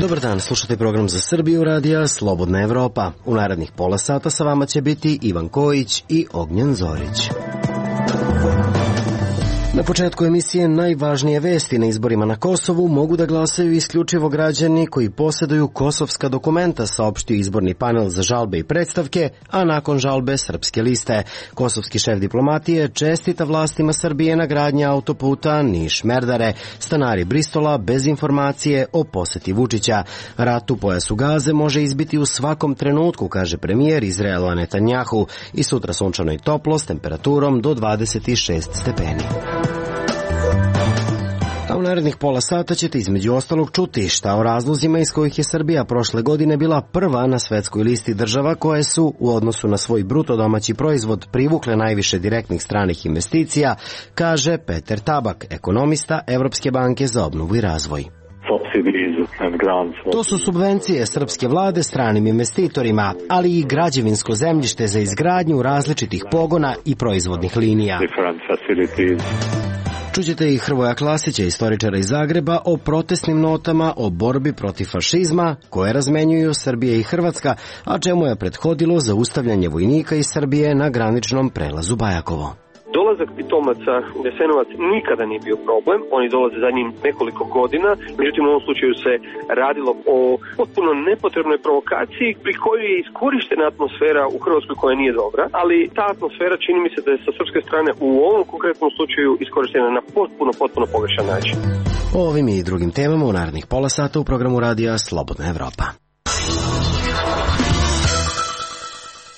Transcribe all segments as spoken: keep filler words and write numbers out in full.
Dobar dan, slušate program za Srbiju radija Slobodna Evropa. U narednih pola sata sa vama će biti Ivan Kojić i Ognjen Zorić. Na početku emisije najvažnije vesti. Na izborima na Kosovu mogu da glasaju isključivo građani koji posjeduju kosovska dokumenta, saopštio izborni panel za žalbe i predstavke, a nakon žalbe Srpske liste. Kosovski šef diplomatije čestita vlastima Srbije na gradnji autoputa Niš-Merdare. Stanari Bristola bez informacije o poseti Vučića. Rat u pojasu Gaze može izbiti u svakom trenutku, kaže premijer Izraela Netanjahu. I sutra sunčano i toplo s temperaturom do dvadeset šest stepeni. A u narednih pola sata ćete između ostalog čuti šta o razlozima iz kojih je Srbija prošle godine bila prva na svetskoj listi država koje su u odnosu na svoj bruto domaći proizvod privukle najviše direktnih stranih investicija, kaže Peter Tabak, ekonomista Evropske banke za obnovu i razvoj. To su subvencije srpske vlade stranim investitorima, ali i građevinsko zemljište za izgradnju različitih pogona i proizvodnih linija. Čućete i Hrvoja Klasića, istoričara iz Zagreba, o protestnim notama o borbi protiv fašizma koje razmenjuju Srbija i Hrvatska, a čemu je prethodilo zaustavljanje vojnika iz Srbije na graničnom prelazu Bajakovo. Dolazak pitomaca u Jasenovac nikada nije bio problem, oni dolaze za njim nekoliko godina, međutim u ovom slučaju se radilo o potpuno nepotrebnoj provokaciji pri kojoj je iskorištena atmosfera u Hrvatskoj koja nije dobra, ali ta atmosfera čini mi se da je sa srpske strane u ovom konkretnom slučaju iskorištena na potpuno, potpuno pogrešan način. O ovim i drugim temama u narednih pola sata u programu radija Slobodna Evropa.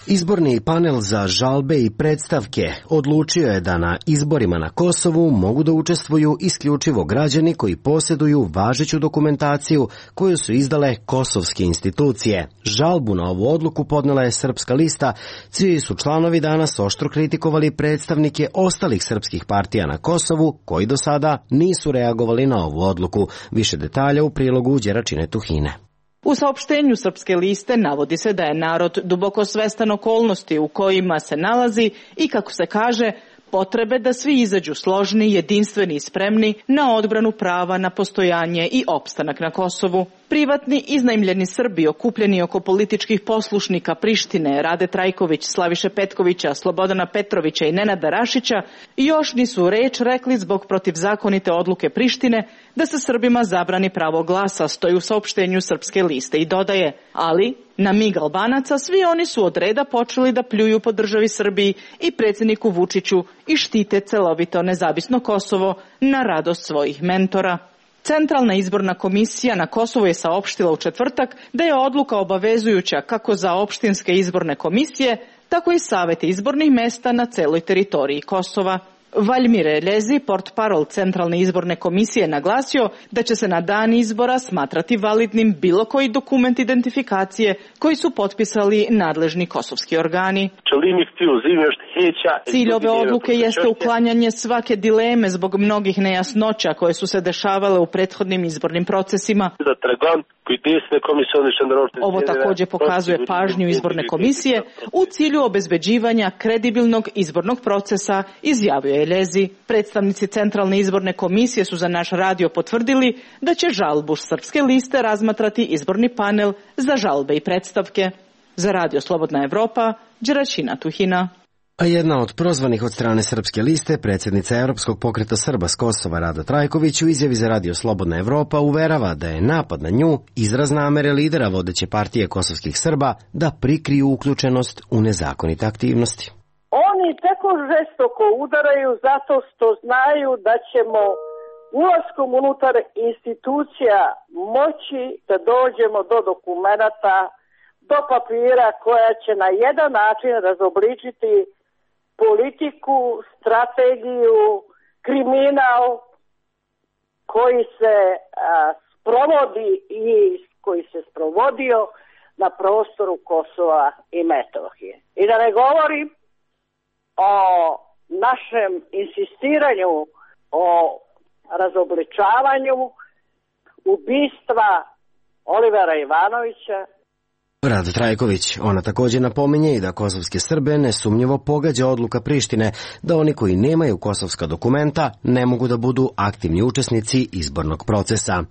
Izborni panel za žalbe i predstavke odlučio je da na izborima na Kosovu mogu da učestvuju isključivo građani koji posjeduju važeću dokumentaciju koju su izdale kosovske institucije. Žalbu na ovu odluku podnela je Srpska lista, čiji su članovi danas oštro kritikovali predstavnike ostalih srpskih partija na Kosovu koji do sada nisu reagovali na ovu odluku. Više detalja u prilogu Đeračine Tuhine. U saopštenju Srpske liste navodi se da je narod duboko svestan okolnosti u kojima se nalazi i, kako se kaže, potrebe da svi izađu složni, jedinstveni i spremni na odbranu prava na postojanje i opstanak na Kosovu. Privatni iznajmljeni Srbi okupljeni oko političkih poslušnika Prištine, Rade Trajković, Slaviše Petkovića, Slobodana Petrovića i Nenada Rašića još nisu reč rekli zbog protivzakonite odluke Prištine da se Srbima zabrani pravo glasa, stoji u saopštenju Srpske liste i dodaje, ali na mig Albanaca svi oni su od reda počeli da pljuju po državi Srbiji i predsjedniku Vučiću i štite celovito nezavisno Kosovo na radost svojih mentora. Centralna izborna komisija na Kosovu je saopštila u četvrtak da je odluka obavezujuća kako za opštinske izborne komisije, tako i savete izbornih mesta na celoj teritoriji Kosova. Valjmir Elezi, portparol Centralne izborne komisije, naglasio da će se na dan izbora smatrati validnim bilo koji dokument identifikacije koji su potpisali nadležni kosovski organi. Cilj ove odluke jeste uklanjanje svake dileme zbog mnogih nejasnoća koje su se dešavale u prethodnim izbornim procesima. Ovo također pokazuje pažnju izborne komisije u cilju obezbeđivanja kredibilnog izbornog procesa, izjavio je Elezi. Predstavnici Centralne izborne komisije su za naš radio potvrdili da će žalbu Srpske liste razmatrati izborni panel za žalbe i predstavke. Za radio Slobodna Evropa, Đeračina Tuhina. A jedna od prozvanih od strane Srpske liste, predsjednica Europskog pokreta Srba s Kosova Rada Trajković, u izjavi za radio Slobodna Evropa uverava da je napad na nju izraz namere lidera vodeće partije kosovskih Srba da prikriju uključenost u nezakonite aktivnosti. Oni tako žestoko udaraju zato što znaju da ćemo ulaskom unutar institucija moći da dođemo do dokumenata, do papira koja će na jedan način razobličiti politiku, strategiju, kriminal koji se a, sprovodi i koji se sprovodio na prostoru Kosova i Metohije. I da ne govorim o našem insistiranju o razobličavanju ubistva Olivera Ivanovića. Rada Trajković, ona također napominje i da kosovske Srbe nesumnjivo pogađa odluka Prištine da oni koji nemaju kosovska dokumenta ne mogu da budu aktivni učesnici izbornog procesa.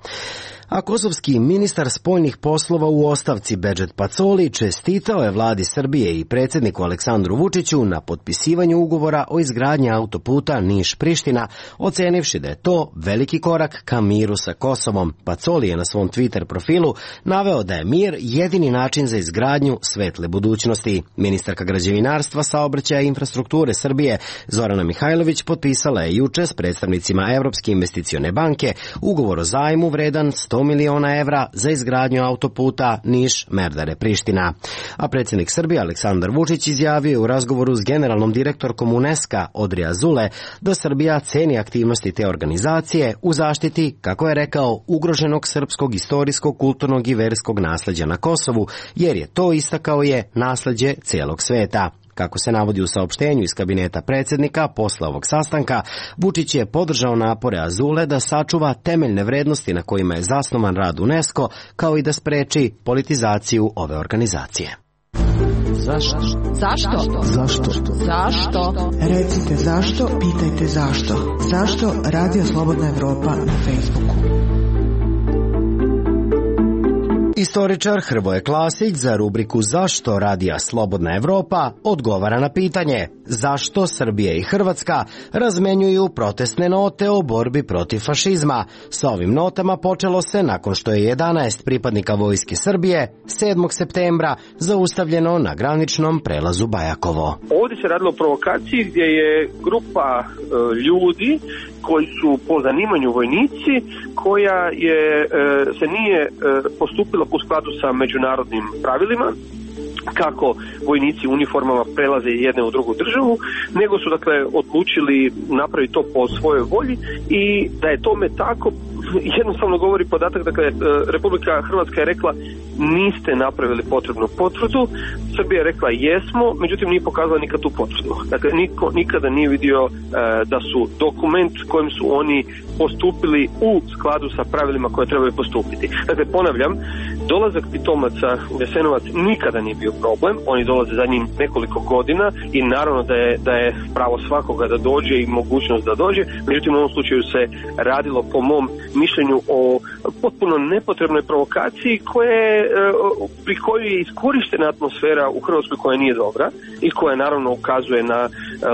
A kosovski ministar spoljnih poslova u ostavci Bedžet Pacoli čestitao je vladi Srbije i predsjedniku Aleksandru Vučiću na potpisivanju ugovora o izgradnji autoputa Niš-Priština, ocenivši da je to veliki korak ka miru sa Kosovom. Pacoli je na svom Twitter profilu naveo da je mir jedini način za izgradnju svetle budućnosti. Ministarka građevinarstva, saobraćaja i infrastrukture Srbije Zorana Mihajlović potpisala je juče s predstavnicima Evropske investicione banke ugovor o zajmu vredan sto miliona evra za izgradnju autoputa Niš-Merdare-Priština. A predsjednik Srbije Aleksandar Vučić izjavio je u razgovoru s generalnom direktorkom UNESCO Odri Azule da Srbija ceni aktivnosti te organizacije u zaštiti, kako je rekao, ugroženog srpskog istorijskog, kulturnog i verskog nasleđa na Kosovu, jer je to, istakao je, nasleđe cijelog sveta. Kako se navodi u saopštenju iz kabineta predsjednika posle ovog sastanka, Vučić je podržao napore Azule da sačuva temeljne vrednosti na kojima je zasnovan rad UNESCO, kao i da spreči politizaciju ove organizacije. Zašto? Zašto? Zašto? Zašto? Recite zašto, pitajte zašto. Zašto Radio Slobodna Evropa na Facebooku? Istoričar Hrvoje Klasić za rubriku Zašto Radija Slobodna Evropa odgovara na pitanje zašto Srbija i Hrvatska razmenjuju protestne note o borbi protiv fašizma. Sa ovim notama počelo se nakon što je jedanaest pripadnika Vojske Srbije sedmog septembra zaustavljeno na graničnom prelazu Bajakovo. Ovdje se radilo o provokaciji gdje je grupa e, ljudi koji su po zanimanju vojnici, koja je, e, se nije e, postupila u skladu sa međunarodnim pravilima, kako vojnici u uniformama prelaze jedne u drugu državu, nego su dakle odlučili napraviti to po svojoj volji, i da je tome tako jednostavno govori podatak, dakle Republika Hrvatska je rekla niste napravili potrebnu potvrdu, Srbija je rekla jesmo, međutim nije pokazala nikad tu potvrdu. Dakle niko nikada nije vidio e, da su dokument kojim su oni postupili u skladu sa pravilima koje trebaju postupiti. Dakle ponavljam, dolazak pitomaca u Jasenovac nikada nije bio problem, oni dolaze za njim nekoliko godina i naravno da je, da je pravo svakoga da dođe i mogućnost da dođe, međutim u ovom slučaju se radilo po mom mišljenju o potpuno nepotrebnoj provokaciji koje, pri kojoj je iskorištena atmosfera u Hrvatskoj koja nije dobra i koja naravno ukazuje na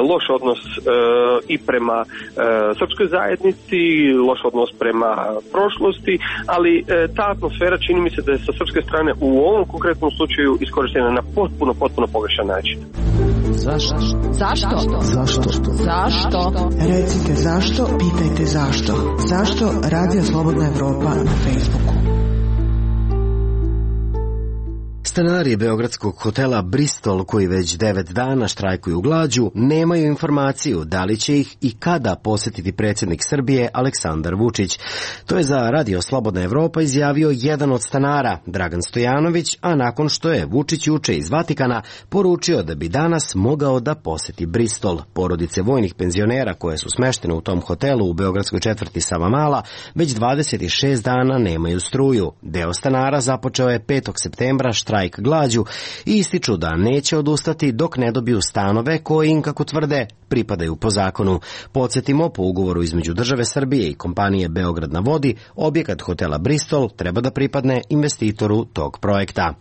loš odnos i prema srpskoj zajednici, loš odnos prema prošlosti, ali ta atmosfera čini mi se da je sa srpske strane u ovom konkretnom slučaju iskorištena na potpuno, potpuno pogrešan način. Zašto? Zašto? Zašto? Zašto? Recite zašto, pitajte zašto. Zašto Radio Slobodna Evropa na Facebooku? Stanari beogradskog hotela Bristol, koji već devet dana štrajkuju glađu, nemaju informaciju da li će ih i kada posjetiti predsjednik Srbije Aleksandar Vučić. To je za Radio Slobodna Evropa izjavio jedan od stanara, Dragan Stojanović, a nakon što je Vučić juče iz Vatikana poručio da bi danas mogao da posjeti Bristol. Porodice vojnih penzionera koje su smeštene u tom hotelu u beogradskoj četvrti Savamala već dvadeset šest dana nemaju struju. Deo stanara započeo je petog septembra štrajk glađu i ističu da neće odustati dok ne dobiju stanove koji im, kako tvrde, pripadaju po zakonu. Podsjetimo, po ugovoru između države Srbije i kompanije Beograd na vodi, objekat hotela Bristol treba da pripadne investitoru tog projekta.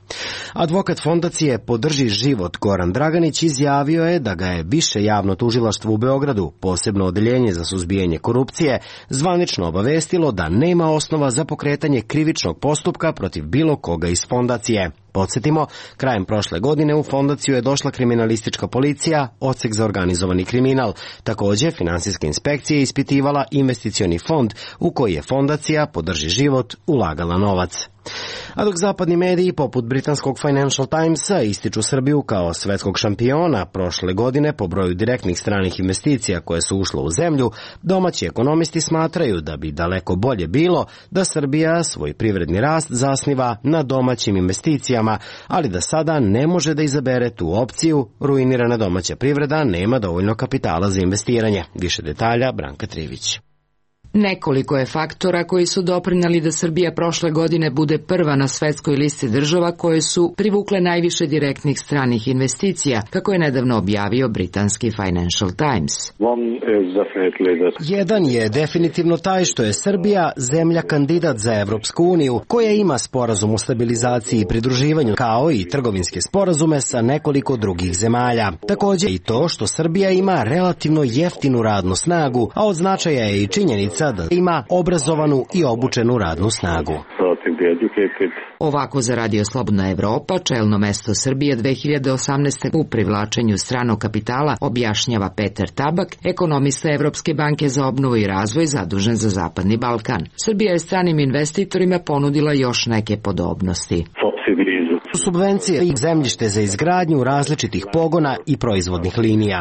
Advokat fondacije Podrži život Goran Draganić izjavio je da ga je Više javno tužilaštvo u Beogradu, posebno odeljenje za suzbijanje korupcije, zvanično obavestilo da nema osnova za pokretanje krivičnog postupka protiv bilo koga iz fondacije. Podsjetimo, krajem prošle godine u fondaciju je došla kriminalistička policija, odsek za organizovani kriminal. Također, finansijska inspekcija je ispitivala investicioni fond u koji je fondacija Podrži život ulagala novac. A dok zapadni mediji poput britanskog Financial Timesa ističu Srbiju kao svetskog šampiona prošle godine po broju direktnih stranih investicija koje su ušle u zemlju, domaći ekonomisti smatraju da bi daleko bolje bilo da Srbija svoj privredni rast zasniva na domaćim investicijama, ali da sada ne može da izabere tu opciju, ruinirana domaća privreda nema dovoljno kapitala za investiranje. Više detalja Branka Trivić. Nekoliko je faktora koji su doprineli da Srbija prošle godine bude prva na svetskoj listi država koje su privukle najviše direktnih stranih investicija, kako je nedavno objavio britanski Financial Times. Jedan je definitivno taj što je Srbija zemlja kandidat za Evropsku uniju, koja ima sporazum o stabilizaciji i pridruživanju, kao i trgovinske sporazume sa nekoliko drugih zemalja. Također i to što Srbija ima relativno jeftinu radnu snagu, a od značaja je i činjenica da ima obrazovanu i obučenu radnu snagu. Ovako za Radio Slobodna Evropa čelno mesto Srbije dve hiljade osamnaeste. u privlačenju stranog kapitala objašnjava Peter Tabak, ekonomista Evropske banke za obnovu i razvoj zadužen za Zapadni Balkan. Srbija je stranim investitorima ponudila još neke podobnosti. Subvencije i zemljište za izgradnju različitih pogona i proizvodnih linija.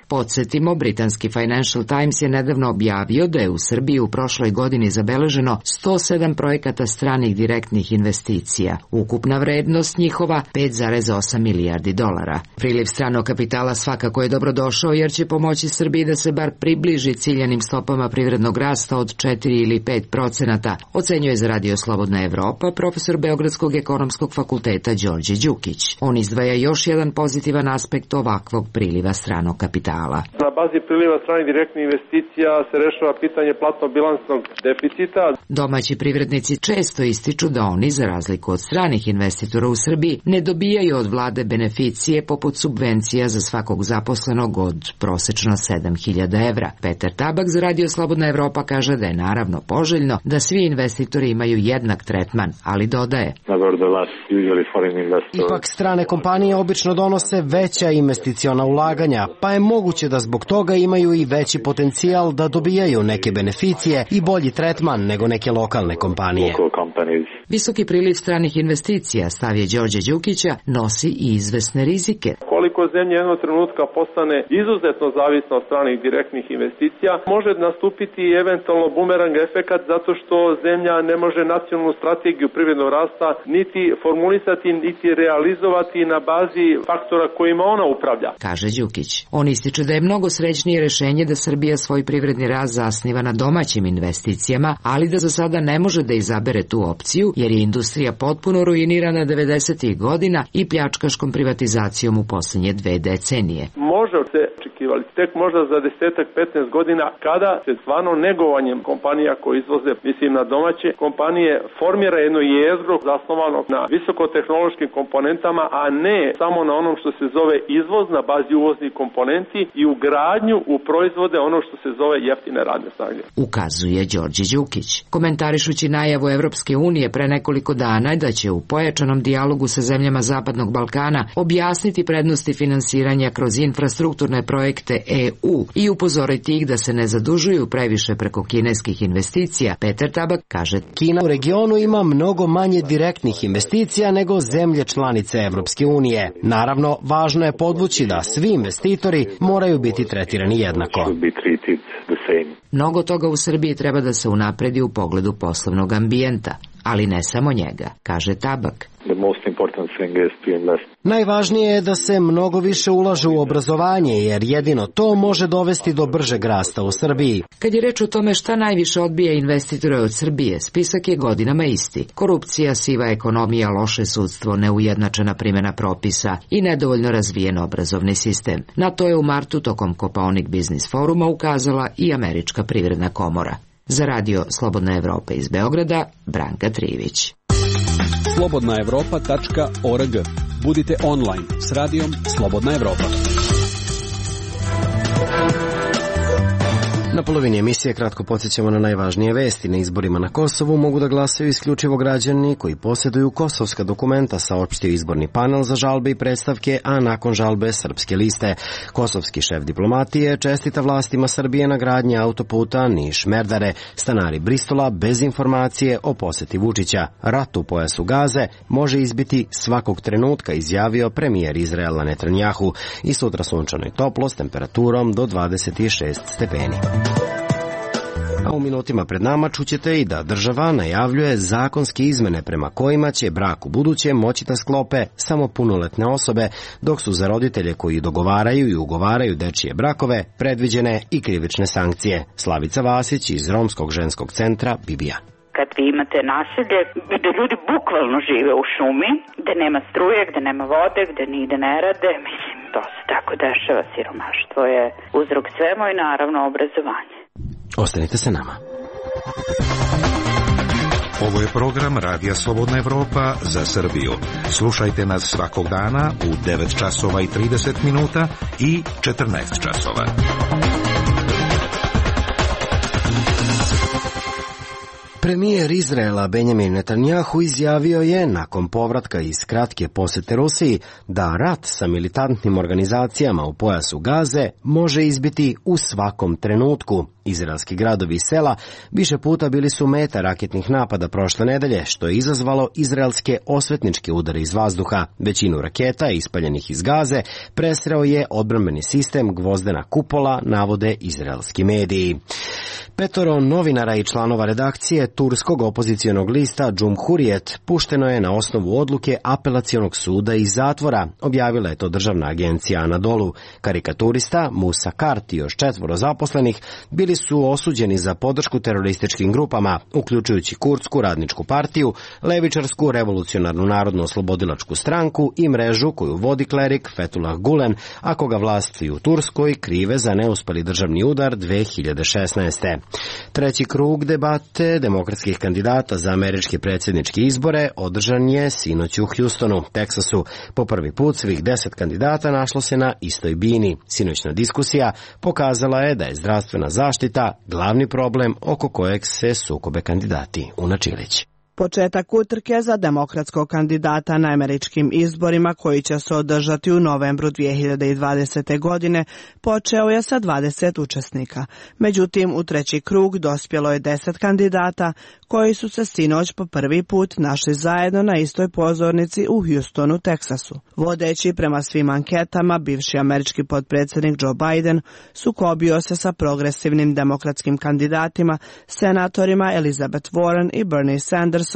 Podsjetimo, britanski Financial Times je nedavno objavio da je u Srbiji u prošloj godini zabeleženo sto sedam projekata stranih direktnih investicija. Ukupna vrednost njihova pet zarez osam milijardi dolara. Priliv stranog kapitala svakako je dobrodošao jer će pomoći Srbiji da se bar približi ciljanim stopama privrednog rasta od četiri ili pet procenata, ocenjuje za Radio Slobodna Evropa profesor Beogradskog ekonomskog fakulteta Đorđe Đukić. On izdvaja još jedan pozitivan aspekt ovakvog priliva stranog kapitala. Na bazi priliva stranih direktnih investicija se rešava pitanje platno-bilansnog deficita. Domaći privrednici često ističu da oni, za razliku od stranih investitora u Srbiji, ne dobijaju od vlade beneficije poput subvencija za svakog zaposlenog od prosečno sedam hiljada evra. Peter Tabak za Radio Slobodna Evropa kaže da je naravno poželjno da svi investitori imaju jednak tretman, ali dodaje: Ipak strane kompanije obično donose veća investiciona ulaganja, pa je moguće da zbog toga imaju i veći potencijal da dobijaju neke beneficije i bolji tretman nego neke lokalne kompanije. Visoki priliv stranih investicija, stav je Đorđe Đukića, nosi i izvesne rizike. Koliko zemlja jednog trenutka postane izuzetno zavisna od stranih direktnih investicija, može nastupiti eventualno bumerang efekat zato što zemlja ne može nacionalnu strategiju privrednog rasta niti formulisati, niti realizovati na bazi faktora kojima ona upravlja, kaže Đukić. On ističe da je mnogo srećnije rešenje da Srbija svoj privredni rast zasniva na domaćim investicijama, ali da za sada ne može da izabere tu opciju jer je industrija potpuno ruinirana devedesetih godina i pljačkaškom privatizacijom u posljednje dve decenije. Može se očekivali tek možda za desetak petnaest godina kada se stvarno negovanjem kompanija koje izvoze, mislim na domaće kompanije, formira jedno jezgro zasnovano na visokotehnološkim komponentama, a ne samo na onom što se zove izvoz na bazi uvoznih komponenti i ugradnju u proizvode ono što se zove jeftine radne snage, ukazuje Đorđe Đukić. Komentarišući najavu Evropske unije pre nekoliko dana da će u pojačanom dijalogu sa zemljama Zapadnog Balkana objasniti prednosti finansiranja kroz infrastrukturne projekte E U i upozoriti ih da se ne zadužuju previše preko kineskih investicija, Peter Tabak kaže: Kina u regionu ima mnogo manje direktnih investicija nego zemlje članice Evropske unije. Naravno, važno je podvući da svi investitori moraju biti tretirani jednako. Mnogo toga u Srbiji treba da se unapredi u pogledu poslovnog ambijenta, ali ne samo njega, kaže Tabak. Najvažnije je da se mnogo više ulaže u obrazovanje, jer jedino to može dovesti do bržeg rasta u Srbiji. Kad je reč o tome šta najviše odbija investitore od Srbije, spisak je godinama isti. Korupcija, siva ekonomija, loše sudstvo, neujednačena primjena propisa i nedovoljno razvijen obrazovni sistem. Na to je u martu tokom Kopaonik Biznis foruma ukazala i Američka privredna komora. Za Radio Slobodna Evropa iz Beograda, Branka Trivić. slobodna evropa tačka org. Budite online s radijom Slobodna Evropa. Na polovini emisije kratko podsjećamo na najvažnije vesti. Na izborima na Kosovu mogu da glasaju isključivo građani koji posjeduju kosovska dokumenta, saopštio izborni panel za žalbe i predstavke, a nakon žalbe Srpske liste. Kosovski šef diplomatije čestita vlastima Srbije na gradnji autoputa Niš-Merdare. Stanari Bristola bez informacije o poseti Vučića. Rat u pojasu Gaze može izbiti svakog trenutka, izjavio premijer Izraela Netanjahu. I sutra sunčano i toplo s temperaturom do dvadeset šest stepeni. A u minutima pred nama čućete i da država najavljuje zakonske izmene prema kojima će brak u buduće moći da sklope samo punoletne osobe, dok su za roditelje koji dogovaraju i ugovaraju dečije brakove predviđene i krivične sankcije. Slavica Vasić iz Romskog ženskog centra Bibija. Kad vi imate naselje gde ljudi bukvalno žive u šumi, gde nema struje, gde nema vode, gde nigde ne rade, mislim, to se tako dešava, siromaštvo je uzrok svemu i naravno obrazovanje. Ostanite sa nama. Ovo je program Radija Slobodna Evropa za Srbiju. Slušajte nas svakog dana u devet časova i trideset minuta i četrnaest časova. Premijer Izraela Benjamin Netanjahu izjavio je, nakon povratka iz kratke posete Rusiji, da rat sa militantnim organizacijama u pojasu Gaze može izbiti u svakom trenutku. Izraelski gradovi i sela više puta bili su meta raketnih napada prošle nedelje, što je izazvalo izraelske osvetničke udare iz vazduha. Većinu raketa ispaljenih iz Gaze presreo je odbrambeni sistem Gvozdena kupola, navode izraelski mediji. Petoro novinara i članova redakcije turskog opozicionog lista Cumhuriyet pušteno je na osnovu odluke apelacionog suda iz zatvora, objavila je to državna agencija Anadolu. Karikaturista Musa Kart i još četvoro zaposlenih bili su osuđeni za podršku terorističkim grupama, uključujući Kurdsku radničku partiju, levičarsku revolucionarnu narodno-oslobodilačku stranku i mrežu koju vodi klerik Fethullah Gulen, a koga vlasti u Turskoj krive za neuspeli državni udar dve hiljade šesnaeste. Treći krug debate demokratskih kandidata za američke predsjedničke izbore održan je sinoć u Houstonu, Teksasu. Po prvi put svih deset kandidata našlo se na istoj bini. Sinoćna diskusija pokazala je da je zdravstvena zaštita glavni problem oko kojeg se sukobe kandidati. Una Čilić. Početak utrke za demokratskog kandidata na američkim izborima koji će se održati u novembru dvije hiljade dvadesete. godine počeo je sa dvadeset učesnika. Međutim, u treći krug dospjelo je deset kandidata koji su se sinoć po prvi put našli zajedno na istoj pozornici u Houstonu, Teksasu. Vodeći prema svim anketama, bivši američki potpredsjednik Joe Biden sukobio se sa progresivnim demokratskim kandidatima, senatorima Elizabeth Warren i Bernie Sanders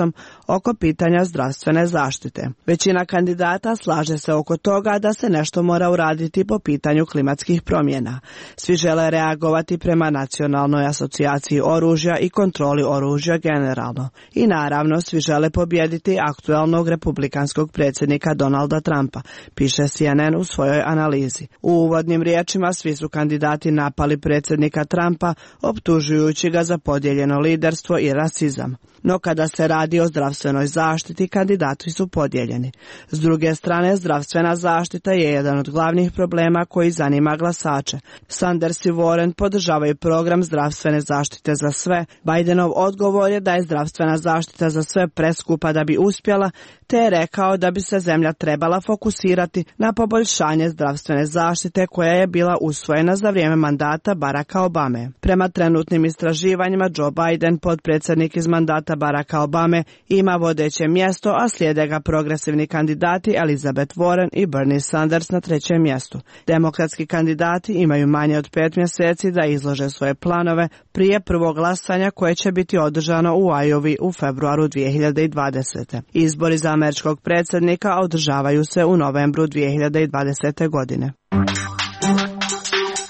oko pitanja zdravstvene zaštite. Većina kandidata slaže se oko toga da se nešto mora uraditi po pitanju klimatskih promjena. Svi žele reagovati prema Nacionalnoj asocijaciji oružja i kontroli oružja generalno. I naravno, svi žele pobijediti aktualnog republikanskog predsjednika Donalda Trumpa, piše C N N u svojoj analizi. U uvodnim riječima svi su kandidati napali predsjednika Trumpa, optužujući ga za podijeljeno liderstvo i rasizam. No kada se radi o zdravstvenoj zaštiti, kandidati su podijeljeni. S druge strane, zdravstvena zaštita je jedan od glavnih problema koji zanima glasače. Sanders i Warren podržavaju program zdravstvene zaštite za sve. Bidenov odgovor je da je zdravstvena zaštita za sve preskupa da bi uspjela, te je rekao da bi se zemlja trebala fokusirati na poboljšanje zdravstvene zaštite koja je bila usvojena za vrijeme mandata Baracka Obame. Prema trenutnim istraživanjima, Joe Biden, potpredsjednik iz mandata Baracka Obame, ima vodeće mjesto, a slijede ga progresivni kandidati Elizabeth Warren i Bernie Sanders na trećem mjestu. Demokratski kandidati imaju manje od pet mjeseci da izlože svoje planove prije prvog glasanja koje će biti održano u Iowi u februaru dvije hiljade dvadesete. Izbori za američkog predsjednika održavaju se u novembru dvije hiljade dvadesete. godine.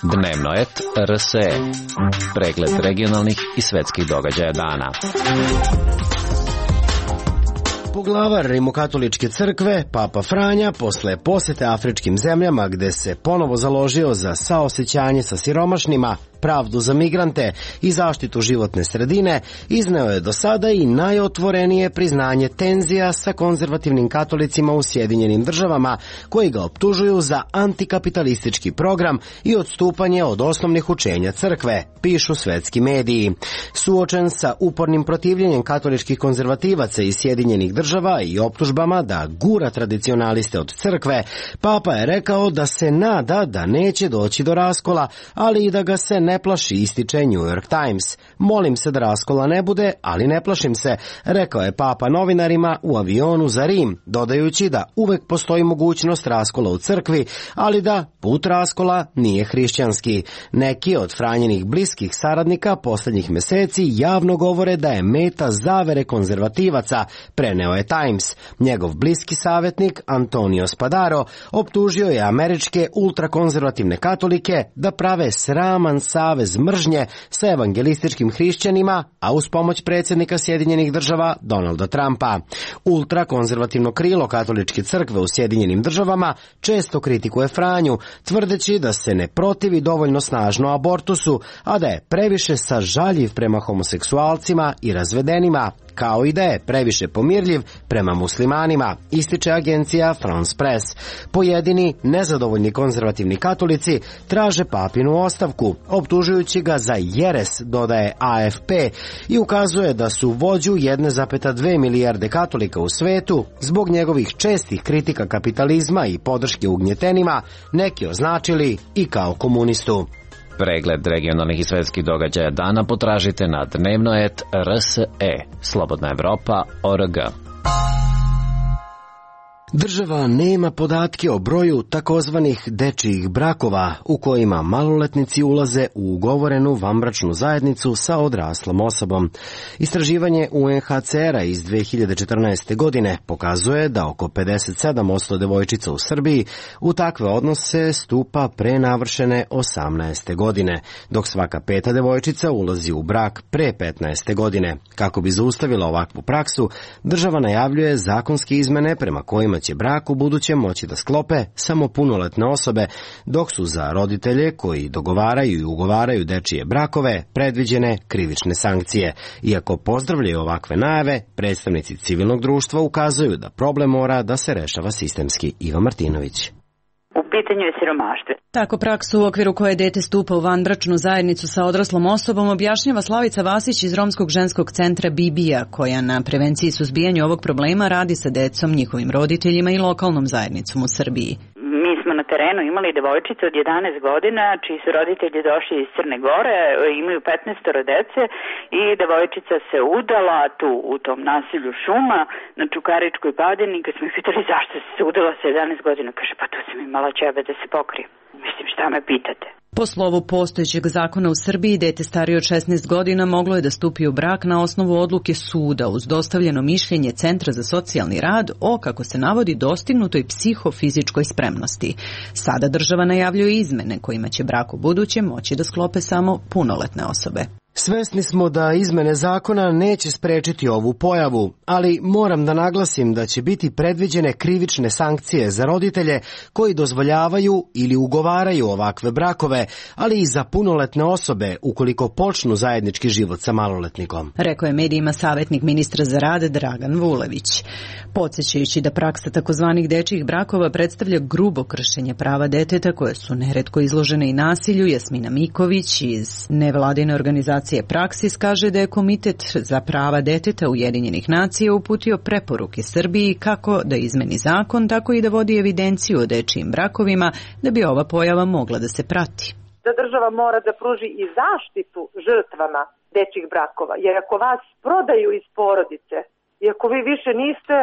Dnevnoet R S E. Pregled regionalnih i svetskih događaja dana. Poglavar Rimokatoličke crkve, Papa Franja, posle posete afričkim zemljama gde se ponovo založio za saosećanje sa siromašnima, pravdu za migrante i zaštitu životne sredine, izneo je do sada i najotvorenije priznanje tenzija sa konzervativnim katolicima u Sjedinjenim državama, koji ga optužuju za antikapitalistički program i odstupanje od osnovnih učenja crkve, pišu svetski mediji. Suočen sa upornim protivljenjem katoličkih konzervativaca iz Sjedinjenih država i optužbama da gura tradicionaliste od crkve, Papa je rekao da se nada da neće doći do raskola, ali i da ga se ne ne plaši, ističe New York Times. Molim se da raskola ne bude, ali ne plašim se, rekao je Papa novinarima u avionu za Rim, dodajući da uvek postoji mogućnost raskola u crkvi, ali da put raskola nije hrišćanski. Neki od Franjinih bliskih saradnika poslednjih meseci javno govore da je meta zavere konzervativaca, preneo je Times. Njegov bliski savjetnik Antonio Spadaro optužio je američke ultrakonzervativne katolike da prave sraman savez mržnje sa evangelističkim hrišćanima, a uz pomoć predsjednika Sjedinjenih država Donalda Trumpa. Ultrakonzervativno krilo katoličke crkve u Sjedinjenim državama često kritikuje Franju, tvrdeći da se ne protivi dovoljno snažno abortusu, a da je previše sažaljiv prema homoseksualcima i razvedenima, kao i da je previše pomirljiv prema muslimanima, ističe agencija France Press. Pojedini nezadovoljni konzervativni katolici traže papinu ostavku, optužujući ga za jeres, dodaje A F P, i ukazuje da su vođu jedne zarez dve milijarde katolika u svetu zbog njegovih čestih kritika kapitalizma i podrške ugnjetenima neki označili i kao komunistu. Pregled regionalnih i svetskih događaja dana potražite na dnevnoet R S E, Slobodna Evropa, O R G. Država nema podatke o broju takozvanih dečijih brakova u kojima maloletnici ulaze u ugovorenu vanbračnu zajednicu sa odraslom osobom. Istraživanje U N H C R-a iz dve hiljade četrnaeste. godine pokazuje da oko pedeset sedam posto devojčica u Srbiji u takve odnose stupa pre navršene osamnaeste. godine, dok svaka peta devojčica ulazi u brak pre petnaeste. godine. Kako bi zaustavila ovakvu praksu, država najavljuje zakonske izmene prema kojima će brak u budućem moći da sklope samo punoletne osobe, dok su za roditelje koji dogovaraju i ugovaraju dečije brakove predviđene krivične sankcije. Iako pozdravljaju ovakve najave, predstavnici civilnog društva ukazuju da problem mora da se rešava sistemski. Iva Martinović. U pitanju je siromaštvo. Tako praksu u okviru koje dete stupa u vanbračnu zajednicu sa odraslom osobom objašnjava Slavica Vasić iz Romskog ženskog centra Bibija, koja na prevenciji i suzbijanju ovog problema radi sa decom, njihovim roditeljima i lokalnom zajednicom u Srbiji. Mi smo na terenu imali devojčice od jedanaest godina, čiji su roditelji došli iz Crne Gore, imaju petnaest dece i devojčica se udala tu u tom nasilju šuma na Čukaričkoj padini. Kad smo ih pitali zašto se udala sa jedanaest godina, kaže pa tu sam imala ćebe da se pokrije. Mislim, šta me pitate? Po slovu postojećeg zakona u Srbiji, dete starije od šesnaest godina moglo je da stupi u brak na osnovu odluke suda uz dostavljeno mišljenje Centra za socijalni rad o, kako se navodi, dostignutoj psihofizičkoj spremnosti. Sada država najavljuje izmene kojima će brak u budućem moći da sklope samo punoletne osobe. Svesni smo da izmene zakona neće sprečiti ovu pojavu, ali moram da naglasim da će biti predviđene krivične sankcije za roditelje koji dozvoljavaju ili ugovaraju ovakve brakove, ali i za punoletne osobe ukoliko počnu zajednički život sa maloletnikom. Rekao je medijima savjetnik ministra za rad Dragan Vulević. Podsjećajući da praksa takozvanih dečijih brakova predstavlja grubo kršenje prava deteta koje su neretko izložene i nasilju, Jasmina Miković iz nevladine organizacije Praksis kaže da je Komitet za prava deteta Ujedinjenih nacija uputio preporuke Srbiji kako da izmeni zakon, tako i da vodi evidenciju o dečijim brakovima da bi ova pojava mogla da se prati. Da država mora da pruži i zaštitu žrtvama dečjih brakova, jer ako vas prodaju iz porodice i ako vi više niste,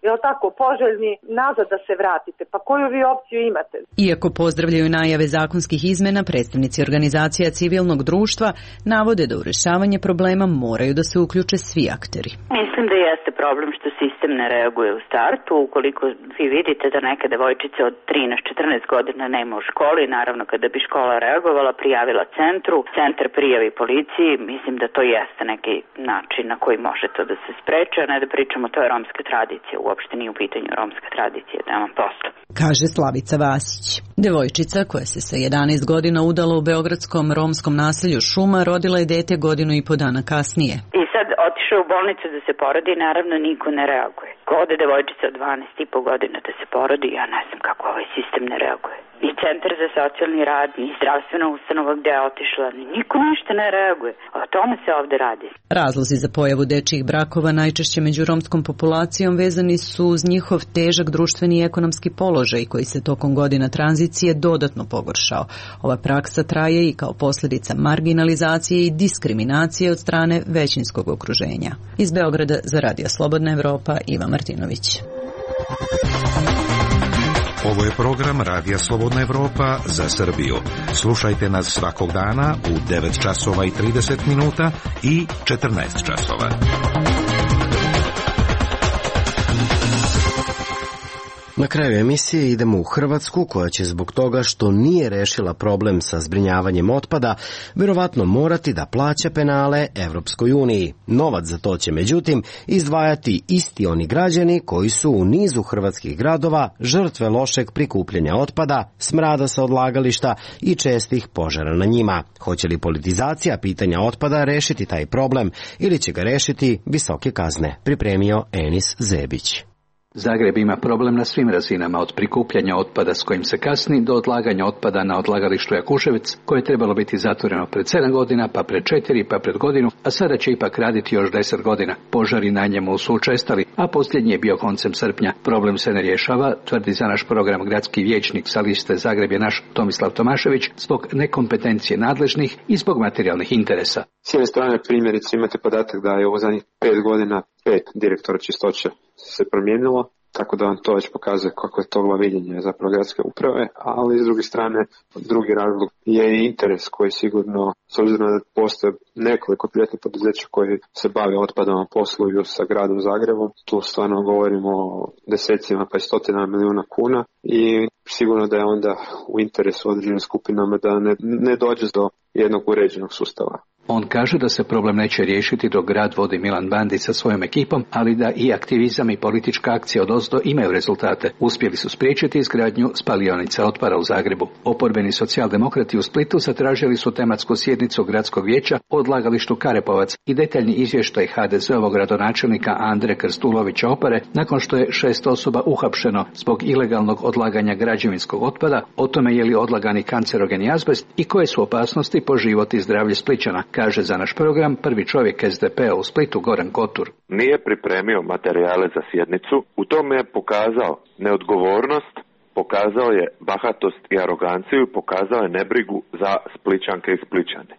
jel tako, poželjni nazad da se vratite, pa koju vi opciju imate? Iako pozdravljaju najave zakonskih izmena, predstavnici organizacija civilnog društva navode da u rešavanje problema moraju da se uključe svi akteri. Mislim da jeste problem što sistem ne reaguje u startu. Ukoliko vi vidite da neka devojčica od trinaest četrnaest godina nema u školi, naravno kada bi škola reagovala, prijavila centru, centar prijavi policiji, mislim da to jeste neki način na koji može to da se spreče, a ne da pričamo to je romska tradicija. Uopšte nije u pitanju romska tradicija, da vam posto. Kaže Slavica Vasić. Devojčica koja se sa jedanaest godina udala u beogradskom romskom naselju Šuma rodila je dete godinu i po dana kasnije. I sad otišao u bolnicu da se porodi, naravno niko ne reaguje. Ko ode devojčica od dvanaest i po godina da se porodi, ja ne znam kako ovaj sistem ne reaguje. i centar za socijalni rad, i zdravstvena ustanova gde je otišla. Niko ništa ne reaguje. O tome se ovde radi. Razlozi za pojavu dečijih brakova najčešće među romskom populacijom vezani su uz njihov težak društveni i ekonomski položaj koji se tokom godina tranzicije dodatno pogoršao. Ova praksa traje i kao posljedica marginalizacije i diskriminacije od strane većinskog okruženja. Iz Beograda za Radio Slobodna Evropa, Iva Martinović. Ovo je program Radija Slobodna Evropa za Srbiju. Slušajte nas svakog dana u devet časova i trideset minuta i četrnaest časova. Na kraju emisije idemo u Hrvatsku, koja će zbog toga što nije rešila problem sa zbrinjavanjem otpada, verovatno morati da plaća penale Evropskoj uniji. Novac za to će međutim izdvajati isti oni građani koji su u nizu hrvatskih gradova žrtve lošeg prikupljanja otpada, smrada sa odlagališta i čestih požara na njima. Hoće li politizacija pitanja otpada rešiti taj problem ili će ga rešiti visoke kazne? Pripremio Enis Zebić. Zagreb ima problem na svim razinama, od prikupljanja otpada s kojim se kasni do odlaganja otpada na odlagalištu Jakuševec, koje je trebalo biti zatvoreno pred sedam godina, pa pred četiri, pa pred godinu, a sada će ipak raditi još deset godina. Požari na njemu su učestali, a posljednji je bio koncem srpnja. Problem se ne rješava, tvrdi za naš program gradski vijećnik sa liste Zagreb je naš Tomislav Tomašević, zbog nekompetencije nadležnih i zbog materijalnih interesa. S jedne strane, primjerice, imate podatak da je u zadnjih pet godina pet direktora čistoće se promijenilo, tako da vam to već pokazuje kako je to glaviljenje zapravo gradske uprave, ali s druge strane, drugi razlog je i interes koji sigurno, s obzirom da postoje nekoliko privatnih poduzeća koji se bave otpadom, a posluju sa gradom Zagrebom, tu stvarno govorimo o desecima pa i stotinama milijuna kuna i sigurno da je onda u interesu određenim skupinama da ne, ne dođe do jednog uređenog sustava. On kaže da se problem neće riješiti dok grad vodi Milan Bandić sa svojom ekipom, ali da i aktivizam i politička akcija odozdo imaju rezultate. Uspjeli su spriječiti izgradnju spalionice otpada u Zagrebu. Oporbeni socijaldemokrati u Splitu zatražili su tematsku sjednicu gradskog vijeća o odlagalištu Karepovac i detaljni izvještaj ha de ze ovog gradonačelnika Andre Krstulovića Opare nakon što je šest osoba uhapšeno zbog ilegalnog odlaganja građevinskog otpada, o tome je li odlagani kancerogeni azbest i koje su opasnosti po život i zdravlje Splićana, kaže za naš program prvi čovjek es de pe-a u Splitu Goran Kotur. Nije pripremio materijale za sjednicu, u tome je pokazao neodgovornost, pokazao je bahatost i aroganciju i pokazao je nebrigu za Splićanke i Splićane.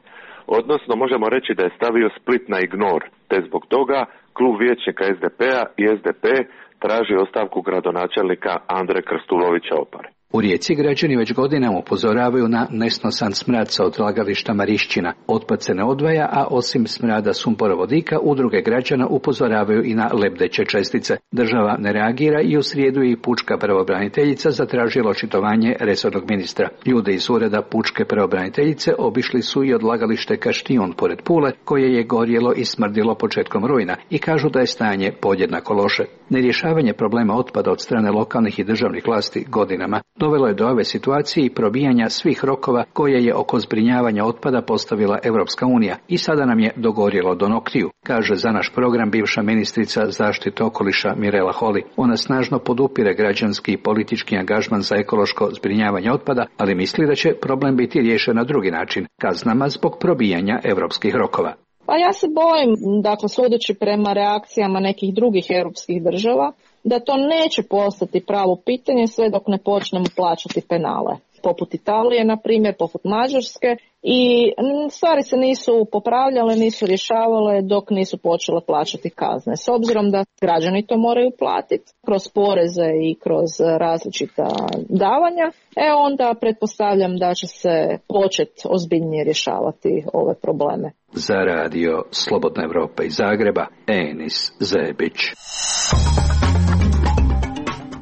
Odnosno, možemo reći da je stavio Split na ignor, te zbog toga klub vijećnika es de pe-a i es de pe traži ostavku gradonačelnika Andre Krstulovića Opare. U Rijeci građani već godinama upozoravaju na nesnosan smrad sa odlagališta Marišćina. Otpad se ne odvaja, a osim smrada sumporovodika, udruge građana upozoravaju i na lebdeće čestice. Država ne reagira i u srijedu je i pučka pravobraniteljica zatražila očitovanje resornog ministra. Ljude iz ureda pučke pravobraniteljice obišli su i odlagalište Kaštijun pored Pule, koje je gorjelo i smrdilo početkom rujna i kažu da je stanje podjednako loše. Nerješavanje problema otpada od strane lokalnih i državnih vlasti godinama dovelo je do ove situacije i probijanja svih rokova koje je oko zbrinjavanja otpada postavila Europska unija i sada nam je dogorjelo do noktiju, kaže za naš program bivša ministrica zaštite okoliša Mirela Holy. Ona snažno podupire građanski i politički angažman za ekološko zbrinjavanje otpada, ali misli da će problem biti riješen na drugi način, kaznama zbog probijanja europskih rokova. Pa ja se bojim, dakle, sudeći prema reakcijama nekih drugih europskih država, da to neće postati pravo pitanje sve dok ne počnemo plaćati penale. Poput Italije, na primjer, poput Mađarske, i stvari se nisu popravljale, nisu rješavale dok nisu počele plaćati kazne. S obzirom da građani to moraju platiti kroz poreze i kroz različita davanja, e onda pretpostavljam da će se početi ozbiljnije rješavati ove probleme. Za radio Slobodna Evropa iz Zagreba, Enis Zebić.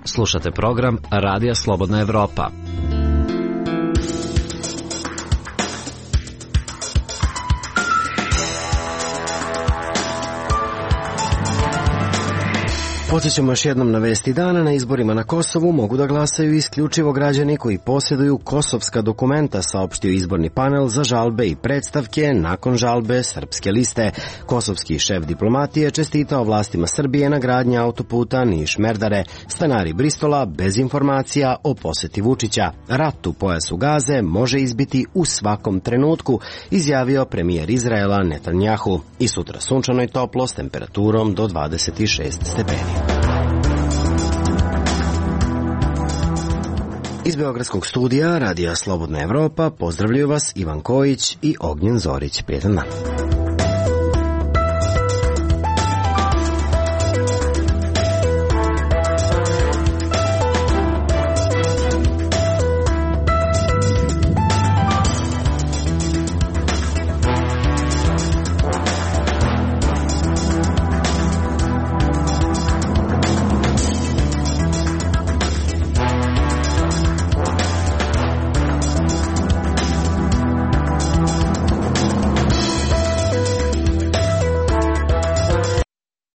Slušate program Radija Slobodna Evropa. Podsjećamo još jednom na vesti dana. Na izborima na Kosovu mogu da glasaju isključivo građani koji posjeduju kosovska dokumenta, saopštio izborni panel za žalbe i predstavke nakon žalbe Srpske liste. Kosovski šef diplomatije čestitao vlastima Srbije na gradnji autoputa Niš-Merdare. Stanari Bristola bez informacija o poseti Vučića. Rat u pojasu Gaze može izbiti u svakom trenutku, izjavio premijer Izraela Netanjahu. I sutra sunčano i toplo s temperaturom do dvadeset šest stepeni. Iz Beogradskog studija Radija Slobodna Evropa pozdravljaju vas Ivan Kojić i Ognjen Zorić. Prijetan dan.